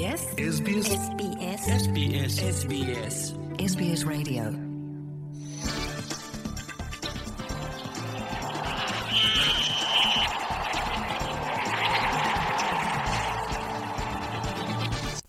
SBS SBS SBS SBS SBS Radio.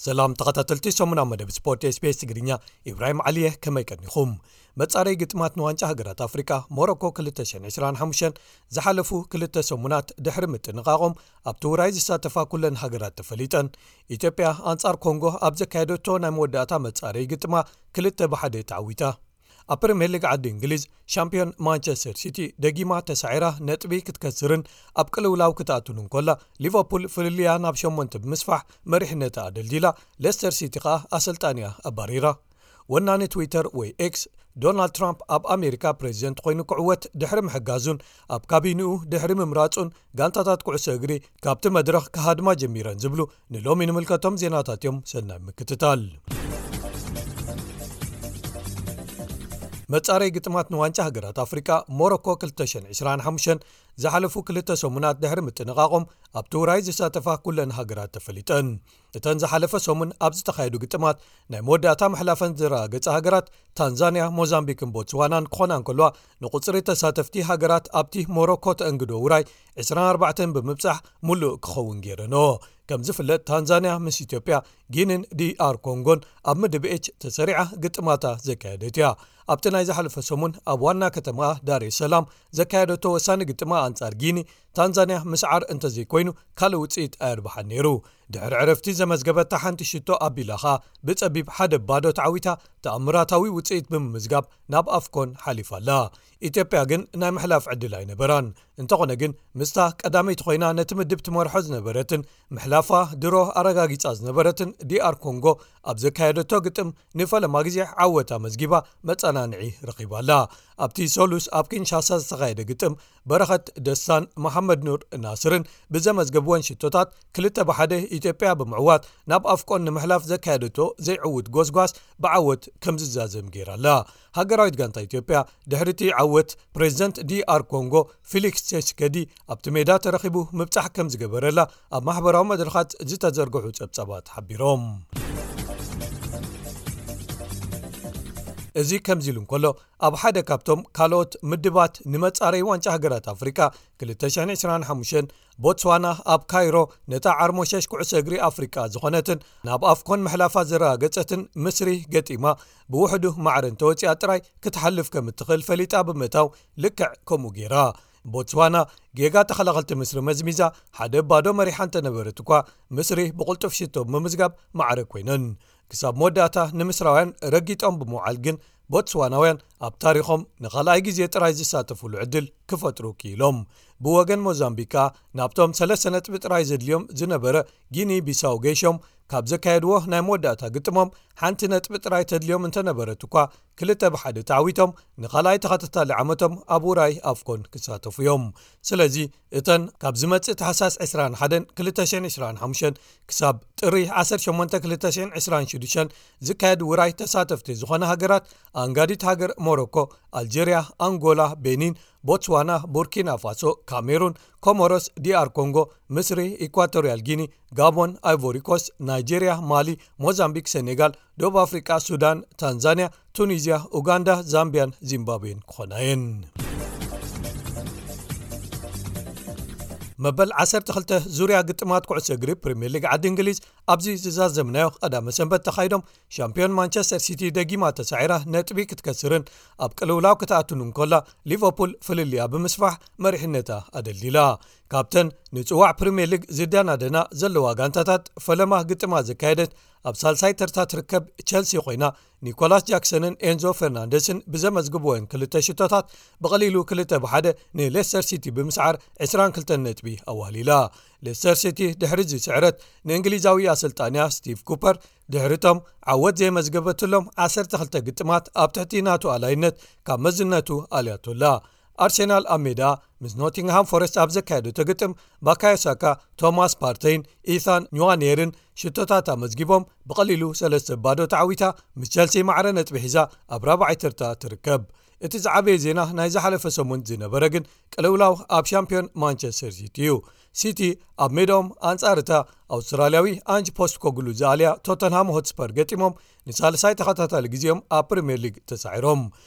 ሰላም ተኸታተልቲ ሰሙናዊ መደብ ስፖርት SBS ትግርኛ፣ ኢብራሂም ዓሊየ፣ ከመይ ቀኒኹም? መጻረይ ግጥማት ንዋንጫ ሃገራት ኣፍሪቃ ሞሮኮ ክልተ ሽሕን ዕስራን ሓሙሽተን ዝሓለፉ ክልተ ሰሙናት ድሕሪ ምጥንቓቖም፣ ኣብቲ ውራይ ዝሳተፋ ኩለን ሃገራት ተፈሊጠን። ኢትዮጵያ ኣንጻር ኮንጎ ኣብ ዘካየደቶ ናይ መወዳእታ መጻረይ ግጥማ ክልተ ብሓደ ተዓዊታ። ኣብ ፕሪምየር ሊግ ዓዲ እንግሊዝ፣ ሻምፒዮን ማንቸስተር ሲቲ ደጊማ ተሳዒራ ነጥቢ ክትከስርን ኣብ ቅልውላው ክትኣቱን እንኮላ፣ ሊቨርፑል ፍልልያ ናብ ሸሞንተ ብምስፋሕ መሪሕነታ ኣደልዲላ፣ ሌስተር ሲቲ ከኣ ኣሰልጣኒያ ኣባሪራ። ወናኒ ትዊተር ወይ ኤክስ፣ ዶናልድ ትራምፕ ኣብ ኣሜሪካ ፕሬዚደንት ኮይኑ ክዕወት ድሕሪ ምሕጋዙን ኣብ ካቢንኡ ድሕሪ ምምራጹን፣ ጋንታታት ኩዕሶ እግሪ ካብቲ መድረኽ ክሃድማ ጀሚረን ዝብሉ ንሎሚ ንምልከቶም ዜናታት እዮም። ሰናይ ምክትታል። መጻረይ ግጥማት ንዋንጫ ሃገራት ኣፍሪቃ ሞሮኮ ክልተ ሽሕን ዕስራን ሓሙሽተን ዝሓለፉ ክልተ ሰሙናት ድሕሪ ምጥንቓቖም፣ ኣብቲ ውራይ ዝሳተፋ ኩለን ሃገራት ተፈሊጠን። እተን ዝሓለፈ ሰሙን ኣብ ዝተኻየዱ ግጥማት ናይ መወዳእታ ምሕላፈን ዘረጋገጻ ሃገራት ታንዛንያ፣ ሞዛምቢክን ቦትስዋናን ክኾና እንከለዋ፣ ንቁጽሪ ተሳተፍቲ ሃገራት ኣብቲ ሞሮኮ ተእንግዶ ውራይ ዕስራን ኣርባዕተን ብምብጻሕ ምሉእ ክኸውን ገይረንኦ። ከም ዝፍለጥ፣ ታንዛንያ ምስ ኢትዮጵያ፣ ጊኒን ዲኣር ኮንጎን ኣብ ምድብ ኤች ተሰሪዓ ግጥማታ ዘካየደት እያ። ኣብቲ ናይ ዝሓለፈ ሰሙን ኣብ ዋና ከተማ ዳሬ ሰላም ዘካየደቶ ወሳኒ ግጥማ ኣንጻር ጊኒ፣ ታንዛንያ ምስዓር እንተዘይኮይኑ ካልእ ውጽኢት ኣየርብሓን ነይሩ። ድሕሪ ዕረፍቲ ዘመዝገበታ ሓንቲ ሽቶ ኣቢላ ኸኣ ብጸቢብ ሓደ ባዶ ተዓዊታ ተኣምራታዊ ውጽኢት ብምምዝጋብ ናብ ኣፍኮን ሓሊፋ ኣላ። ኢትዮጵያ ግን ናይ ምሕላፍ ዕድል ኣይነበራን። እንተኾነ ግን ምስታ ቀዳመይቲ ኮይና ነቲ ምድብ ትመርሖ ዝነበረትን ምሕላፋ ድሮ ኣረጋጊጻ ዝነበረትን ዲኣር ኮንጎ ኣብ ዘካየደቶ ግጥም ንፈለማ ግዜ ዓወት ኣመዝጊባ መጸናንዒ ረኺባ ኣላ። ኣብቲ ሰሉስ ኣብ ኪንሻሳ ዝተኻየደ ግጥም በረኸት ደስታን መሓመድ ኑር ናስርን ብዘመዝገብወን ሽቶታት ክልተ ብሓደ ኢትዮጵያ ብምዕዋት ናብ ኣፍቆን ንምሕላፍ ዘካየደቶ ዘይዕዉት ጎስጓስ ብዓወት ከም ዝዛዘም ገይራ ኣላ። ሃገራዊት ጋንታ ኢትዮጵያ ድሕሪ እቲ ዓወት ፕሬዚደንት ዲኣር ኮንጎ ፊሊክስ ቸስከዲ ኣብቲ ሜዳ ተረኺቡ ምብጻሕ ከም ዝገበረላ ኣብ ማሕበራዊ መድረኻት ዝተዘርግሑ ጸብጻባት ሓቢሮም። እዚ ከምዚ ኢሉ እንከሎ፣ ኣብ ሓደ ካብቶም ካልኦት ምድባት ንመጻረይ ዋንጫ ሃገራት ኣፍሪቃ ክልተ ሽሕን ዕስራን ሓሙሽተን፣ ቦትስዋና ኣብ ካይሮ ነታ ዓርሞሸሽ ኩዕሶ እግሪ ኣፍሪቃ ዝኾነትን ናብ ኣፍኮን ምሕላፋ ዘረጋገጸትን ምስሪ ገጢማ ብውሕዱ ማዕረ እንተወጺኣ ጥራይ ክትሓልፍ ከም እትኽእል ፈሊጣ ብምእታው፣ ልክዕ ከምኡ ገይራ። ቦትስዋና ጌጋ ተኸላኸልቲ ምስሪ መዝሚዛ ሓደ ባዶ መሪሓ እንተነበረት እኳ፣ ምስሪ ብቕልጡፍ ሽቶ ብምምዝጋብ ማዕረ ኮይነን። ክሳብ መወዳእታ ንምስራውያን ረጊጦም ብምውዓል ግን፣ ቦትስዋናውያን ኣብ ታሪኾም ንኻልኣይ ግዜ ጥራይ ዝሳተፉሉ ዕድል ክፈጥሩ ክኢሎም። ብወገን ሞዛምቢክ ከኣ፣ ናብቶም ሰለስተ ነጥቢ ጥራይ ዘድልዮም ዝነበረ ጊኒ ቢሳው ገይሾም፣ ካብ ዘካየድዎ ናይ መወዳእታ ግጥሞም ሓንቲ ነጥቢ ጥራይ ተድልዮም እንተነበረት እኳ፣ ክልተ ብሓደ ተዓዊቶም ንኻልኣይ ተኸታታሊ ዓመቶም ኣብ ውራይ ኣፍኮን ክሳተፉ እዮም። ስለዚ እተን ካብ ዝመጽእ ታሕሳስ ዕስራን ሓደን ክልተ ሽሕን ዕስራን ሓሙሽተን ክሳብ ጥሪ ዓሰርተ ሸሞንተ ክልተ ሽሕን ዕስራን ሽዱሽተን ዝካየድ ውራይ ተሳተፍቲ ዝኾነ ሃገራት፣ ኣንጋዲት ሃገር ሞሮኮ፣ ኣልጀርያ፣ ኣንጎላ፣ ቤኒን፣ ቦትስዋና፣ ቡርኪና ፋሶ፣ ካሜሩን፣ ኮሞሮስ፣ ዲኣር ኮንጎ፣ ምስሪ፣ ኢኳቶሪያል ጊኒ፣ ጋቦን፣ ኣይቮሪኮስ፣ ናይጄርያ፣ ማሊ፣ ሞዛምቢክ፣ ሴኔጋል፣ ደቡብ ኣፍሪቃ፣ ሱዳን፣ ታንዛንያ፣ ቱኒዝያ፣ ኡጋንዳ፣ ዛምቢያን ዚምባብዌን ክኾና እየን። መበል ዓሰርተ ክልተ ዙርያ ግጥማት ኩዕሶ እግሪ ፕሪምየር ሊግ ዓዲ እንግሊዝ ኣብዚ ዝዛዘምናዮ ቀዳመ ሰንበት ተኻይዶም፣ ሻምፒዮን ማንቸስተር ሲቲ ደጊማ ተሳዒራ ነጥቢ ክትከስርን ኣብ ቅልውላው ክትኣቱን እንኮላ፣ ሊቨርፑል ፍልልያ ብምስፋሕ መሪሕነታ ኣደልዲላ። ካብተን ንጽዋዕ ፕሪምየር ሊግ ዝደናደና ዘለዋ ጋንታታት ፈለማ ግጥማ ዘካየደት ኣብ ሳልሳይ ተርታ ትርከብ ቸልሲ ኮይና፣ ኒኮላስ ጃክሰንን ኤንዞ ፈርናንደስን ብዘመዝግብወን ክልተ ሽቶታት ብቐሊሉ ክልተ ብሓደ ንሌስተር ሲቲ ብምስዓር ዕስራን ክልተን ነጥቢ ኣዋህሊላ። ሌስተር ሲቲ ድሕሪ እዚ ስዕረት ንእንግሊዛዊ ኣሰልጣንያ ስቲቭ ኩፐር ድሕሪቶም ዓወት ዘየመዝገበትሎም ዓሰርተ ክልተ ግጥማት ኣብ ትሕቲ ናቱ ኣላይነት ካብ መዝነቱ ኣልያቶላ። ኣርሴናል ኣብ ሜዳ ምስ ኖቲንግሃም ፎረስት ኣብ ዘካየደቶ ግጥም፣ ባካዮ ሳካ፣ ቶማስ ፓርተይን ኢታን ኝዋኔርን ሽቶታት ኣመዝጊቦም ብቐሊሉ ሰለስተ ባዶ ተዓዊታ ምስ ቸልሲ ማዕረ ነጥቢ ሒዛ ኣብ ራብዓይ ተርታ ትርከብ። እቲ ዝዓበየ ዜና ናይ ዝሓለፈ ሰሙን ዝነበረ ግን ቅልውላው ኣብ ሻምፒዮን ማንቸስተር ሲቲ እዩ። ሲቲ ኣብ ሜዳኦም ኣንጻር እታ ኣውስትራልያዊ ኣንጅ ፖስት ኮግሉ ዝኣልያ ቶተንሃም ሆትስፐር ገጢሞም ንሳልሳይ ተኸታታሊ ግዜኦም ኣብ ፕሪምየር ሊግ ተሳዒሮም።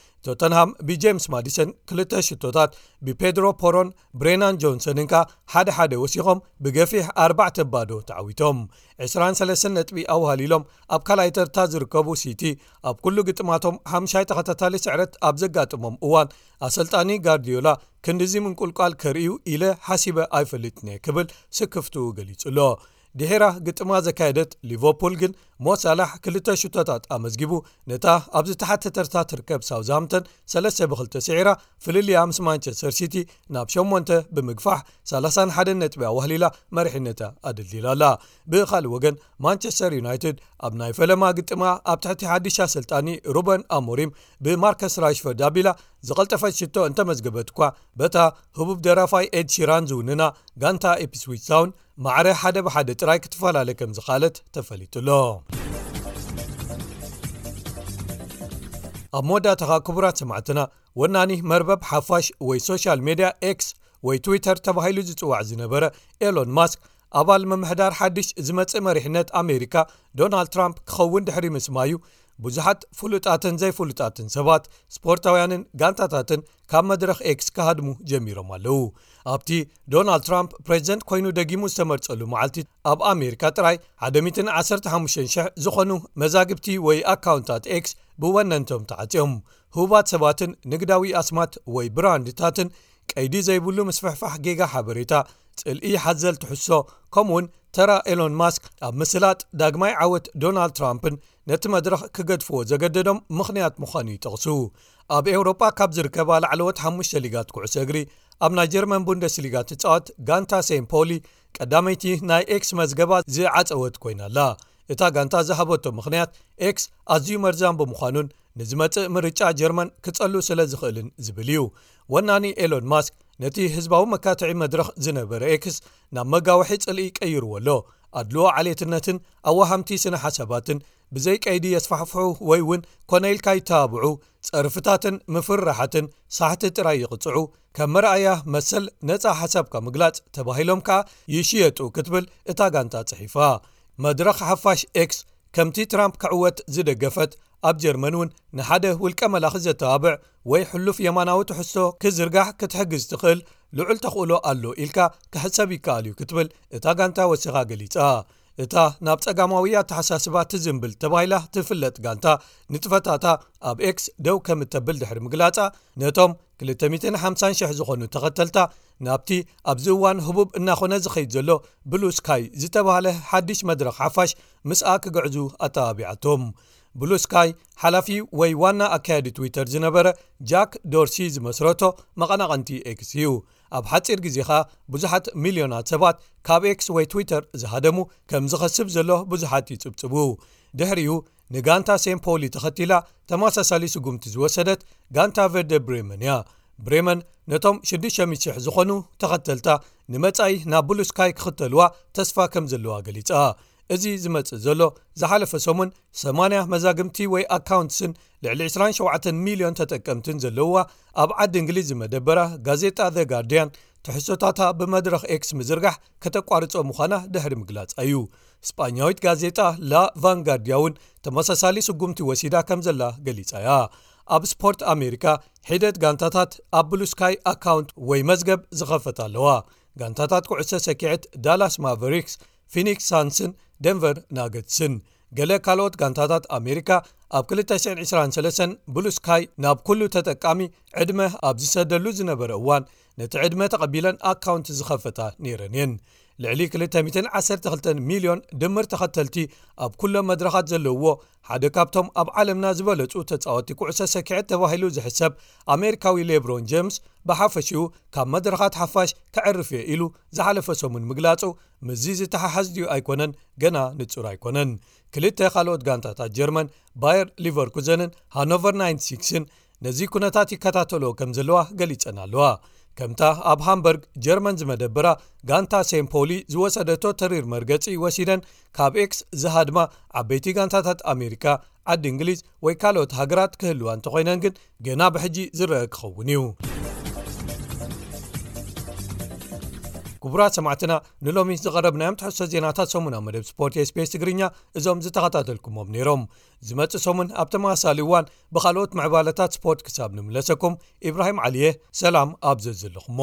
ቶተንሃም ብጄምስ ማዲሰን ክልተ ሽቶታት፣ ብፔድሮ ፖሮን ብሬናን ጆንሰንን ከኣ ሓደ ሓደ ወሲኾም ብገፊሕ ኣርባዕተ ባዶ ተዓዊቶም። ዕስራን ሰለስተን ነጥቢ ኣውሃሊሎም ኣብ ካልኣይ ተርታ ዝርከቡ ሲቲ፣ ኣብ ኩሉ ግጥማቶም ሓምሻይ ተኸታታሊ ስዕረት ኣብ ዘጋጥሞም እዋን፣ ኣሰልጣኒ ጋርዲዮላ ክንድዚ ምንቁልቋል ከርእዩ ኢለ ሓሲበ ኣይፈልጥን እየ ክብል ስክፍትኡ ገሊጹ ኣሎ። ድሒራ ግጥማ ዘካየደት ሊቨርፑል ግን፣ ሞ ሳላሕ ክልተ ሽቶታት ኣመዝጊቡ፣ ነታ ኣብ ዝተሓተ ተርታ ትርከብ ሳውዝሃምተን ሰለስተ ብክልተ ስዒራ፣ ፍልልያ ምስ ማንቸስተር ሲቲ ናብ ሸሞንተ ብምግፋሕ ሰላሳን ሓደን ነጥቢ ኣዋህሊላ መሪሕነታ ኣደልዲላ ኣላ። ብኻልእ ወገን፣ ማንቸስተር ዩናይትድ ኣብ ናይ ፈለማ ግጥማ ኣብ ትሕቲ ሓድሽ ኣሰልጣኒ ሩበን ኣሞሪም ብማርከስ ራሽፈርድ ኣቢላ ዝቐልጠፈት ሽቶ እንተመዝገበት እኳ፣ በታ ህቡብ ደራፋይ ኤድ ሺራን ዝውንና ጋንታ ኢፕስዊች ታውን ማዕረ ሓደ ብሓደ ጥራይ ክትፈላለ ከም ዝኻለት ተፈሊጡ ኣሎ። ኣብ መወዳእታኻ ክቡራት ሰማዕትና፣ ወናኒ መርበብ ሓፋሽ ወይ ሶሻል ሜድያ ኤክስ ወይ ትዊተር ተባሂሉ ዝጽዋዕ ዝነበረ ኤሎን ማስክ፣ ኣባል ምምሕዳር ሓድሽ ዝመጽእ መሪሕነት ኣሜሪካ ዶናልድ ትራምፕ ክኸውን ድሕሪ ምስማዩ፣ ብዙሓት ፍሉጣትን ዘይፍሉጣትን ሰባት፣ ስፖርታውያንን ጋንታታትን ካብ መድረኽ ኤክስ ክሃድሙ ጀሚሮም ኣለዉ። ኣብቲ ዶናልድ ትራምፕ ፕሬዚደንት ኮይኑ ደጊሙ ዝተመርጸሉ መዓልቲ፣ ኣብ ኣሜሪካ ጥራይ ሓደ ሚእትን ዓሰርተ ሓሙሽተን ሽሕ ዝኾኑ መዛግብቲ ወይ ኣካውንታት ኤክስ ብወነንቶም ተዓጽዮም። ህቡባት ሰባትን ንግዳዊ ኣስማት ወይ ብራንድታትን ቀይዲ ዘይብሉ ምስፍሕፋሕ ጌጋ ሓበሬታ፣ ጽልኢ ሓዘል ትሕዝቶ፣ ከምኡውን ተራ ኤሎን ማስክ ኣብ ምስላጥ ዳግማይ ዓወት ዶናልድ ትራምፕን ነቲ መድረኽ ክገድፍዎ ዘገደዶም ምኽንያት ምዃኑ ይጠቕሱ። ኣብ ኤውሮጳ ካብ ዝርከባ ላዕለዎት ሓሙሽተ ሊጋት ኩዕሶ እግሪ፣ ኣብ ናይ ጀርመን ቡንደስሊጋ ትጻወት ጋንታ ሴን ፖሊ ቀዳመይቲ ናይ ኤክስ መዝገባ ዝዓጸወት ኮይና ኣላ። እታ ጋንታ ዝሃበቶ ምኽንያት፣ ኤክስ ኣዝዩ መርዛም ብምዃኑን ንዝመጽእ ምርጫ ጀርመን ክጸሉ ስለ ዝኽእልን ዝብል እዩ። ወናኒ ኤሎን ማስክ ነቲ ህዝባዊ መካትዒ መድረኽ ዝነበረ ኤክስ ናብ መጋውሒ ጽልኢ ቀይርዎ ኣሎ። ኣድልዎ ዓሌትነትን ኣዋሃምቲ ስነ ሓሳባትን ብዘይ ቀይዲ የስፋሕፍሑ ወይ እውን ኮነ ኢልካ ይተባብዑ፣ ጸርፍታትን ምፍርራሓትን ሳሕቲ ጥራይ ይቕጽዑ፣ ከም መርኣያ መሰል ነጻ ሓሳብካ ምግላጽ ተባሂሎም ከኣ ይሽየጡ ክትብል እታ ጋንታ ጽሒፋ። መድረኽ ሓፋሽ ኤክስ ከምቲ ትራምፕ ክዕወት ዝደገፈት፣ ኣብ ጀርመን እውን ንሓደ ውልቀ መላኺ ዘተባብዕ ወይ ሕሉፍ የማናዊ ትሕዝቶ ክዝርጋሕ ክትሕግዝ ትኽእል ልዑል ተኽእሎ ኣሎ ኢልካ ክሕሰብ ይከኣል እዩ ክትብል እታ ጋንታ ወሲኻ ገሊጻ። እታ ናብ ጸጋማዊ ኣተሓሳስባ ትዝንብል ተባሂላ ትፍለጥ ጋንታ፣ ንጥፈታታ ኣብ ኤክስ ደው ከም እተብል ድሕሪ ምግላጻ፣ ነቶም ክልተ ሚእትን ሓምሳን ሽሕ ዝኾኑ ተኸተልታ ናብቲ ኣብዚ እዋን ህቡብ እናኾነ ዝኸይድ ዘሎ ብሉ ስካይ ዝተባህለ ሓድሽ መድረኽ ሓፋሽ ምስኣ ክግዕዙ ኣተባቢዓቶም። ብሉ ስካይ ሓላፊ ወይ ዋና ኣካያዲ ትዊተር ዝነበረ ጃክ ዶርሲ ዝመስረቶ መቐናቐንቲ ኤክስ እዩ። ኣብ ሓጺር ግዜ ኸኣ ብዙሓት ሚልዮናት ሰባት ካብ ኤክስ ወይ ትዊተር ዝሃደሙ ከም ዝኸስብ ዘሎ ብዙሓት ይጽብጽቡ። ድሕሪኡ ንጋንታ ሴን ፖሊ ተኸቲላ ተመሳሳሊ ስጉምቲ ዝወሰደት ጋንታ ቨርደ ብሬመን እያ። ብሬመን ነቶም ሽዱሽተ ሚእቲ ሽሕ ዝኾኑ ተኸተልታ ንመጻኢ ናብ ብሉ ስካይ ክኽተልዋ ተስፋ ከም ዘለዋ ገሊጻ። እዚ ዝመጽእ ዘሎ ዝሓለፈ ሰሙን፣ ሰማንያ መዛግብቲ ወይ ኣካውንትስን ልዕሊ ዕስራን ሸውዓተን ሚልዮን ተጠቀምትን ዘለውዋ ኣብ ዓዲ እንግሊዝ ዝመደበራ ጋዜጣ ዘ ጋርዲያን፣ ትሕዝቶታታ ብመድረኽ ኤክስ ምዝርጋሕ ከተቋርጾ ምዃና ድሕሪ ምግላጻ እዩ። ስጳኛዊት ጋዜጣ ላ ቫንጋርዲያ እውን ተመሳሳሊ ስጉምቲ ወሲዳ ከም ዘላ ገሊጻ እያ። ኣብ ስፖርት ኣሜሪካ፣ ሒደት ጋንታታት ኣብ ብሉ ስካይ ኣካውንት ወይ መዝገብ ዝኸፈታ ኣለዋ። ጋንታታት ኩዕሶ ሰኪዐት ዳላስ ማቨሪክስ፣ ፊኒክስ ሳንስን ደንቨር ናገትስን። ገለ ካልኦት ጋንታታት ኣሜሪካ፣ ኣብ ክልተ ሽሕን ዕስራን ሰለስተን ብሉ ስካይ ናብ ኩሉ ተጠቃሚ ዕድመ ኣብ ዝሰደሉ ዝነበረ እዋን፣ ነቲ ዕድመ ተቐቢለን ኣካውንት ዝኸፈታ ነይረን እየን። ልዕሊ ክልተ ሚእትን ዓሰርተ ክልተን ሚልዮን ድምር ተኸተልቲ ኣብ ኩሎም መድረኻት ዘለውዎ፣ ሓደ ካብቶም ኣብ ዓለምና ዝበለጹ ተጻወቲ ኩዕሶ ሰኪዐት ተባሂሉ ዝሕሰብ ኣሜሪካዊ ሌብሮን ጀምስ፣ ብሓፈሽኡ ካብ መድረኻት ሓፋሽ ከዕርፍ እየ ኢሉ ዝሓለፈ ሰሙን ምግላጹ፣ ምስዚ ዝተሓሓዝ ድዩ ኣይኮነን ገና ንጹር ኣይኮነን። ክልተ ካልኦት ጋንታታት ጀርመን፣ ባየር ሊቨርኩዘንን ሃኖቨር ናይንቲ ሲክስን፣ ነዚ ኩነታት ይከታተልኦ ከም ዘለዋ ገሊጸን ኣለዋ። ከምታ ኣብ ሃምበርግ ጀርመን ዝመደበራ ጋንታ ሴን ፖሊ ዝወሰደቶ ተሪር መርገጺ ወሲደን ካብ ኤክስ ዝሃድማ ዓበይቲ ጋንታታት ኣሜሪካ፣ ዓዲ እንግሊዝ ወይ ካልኦት ሃገራት ክህልዋ እንተኾይነን ግን ገና ብሕጂ ዝረአ ክኸውን እዩ። ክቡራት ሰማዕትና፣ ንሎሚ ዝቐረብናዮም ትሕዝቶ ዜናታት ሰሙናዊ መደብ ስፖርት ኤስቢኤስ ትግርኛ እዞም ዝተኸታተልኩሞም ነይሮም። ዝመጽእ ሰሙን ኣብ ተመሳሳሊ እዋን ብኻልኦት ምዕባለታት ስፖርት ክሳብ ንምለሰኩም፣ ኢብራሂም ዓሊየ፣ ሰላም ኣብ ዘዘለኹሞ።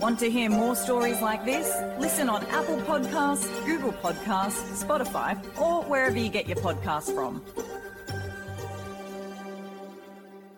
Want to hear more stories like this? Listen on Apple Podcasts, Google Podcasts, Spotify, or wherever you get your podcasts from.